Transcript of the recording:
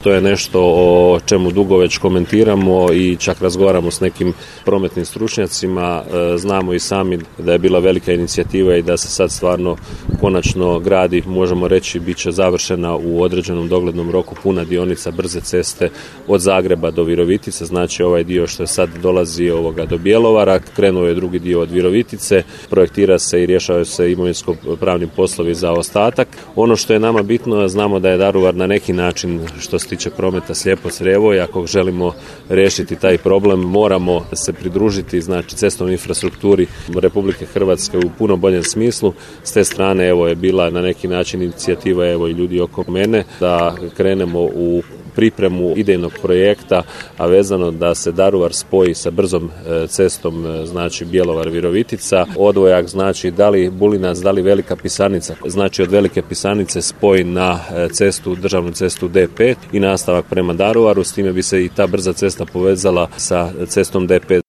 To je nešto o čemu dugo već komentiramo i čak razgovaramo s nekim prometnim stručnjacima. Znamo i sami da je bila velika inicijativa i da se sad stvarno konačno gradi, možemo reći, bit će završena u određenom doglednom roku puna dionica brze ceste od Zagreba do Virovitice, znači ovaj dio što je sad dolazi do Bjelovara, krenuo je drugi dio od Virovitice, projektira se i rješavaju se imovinsko-pravni poslovi za ostatak. Ono što je nama bitno, znamo da je Daruvar na neki način, što se tiče prometa, slijepo crijevo i ako želimo riješiti taj problem, moramo se pridružiti, znači, cestovnoj infrastrukturi Republike Hrvatske u puno boljem smislu. S te strane je bila na neki način inicijativa i ljudi oko mene da krenemo u pripremu idejnog projekta, a vezano da se Daruvar spoji sa brzom cestom, znači Bjelovar-Virovitica. Odvojak znači da li Bulinac, da li Velika Pisanica, znači od Velike Pisanice spoj na državnu cestu D5 i nastavak prema Daruvaru, s time bi se i ta brza cesta povezala sa cestom D5.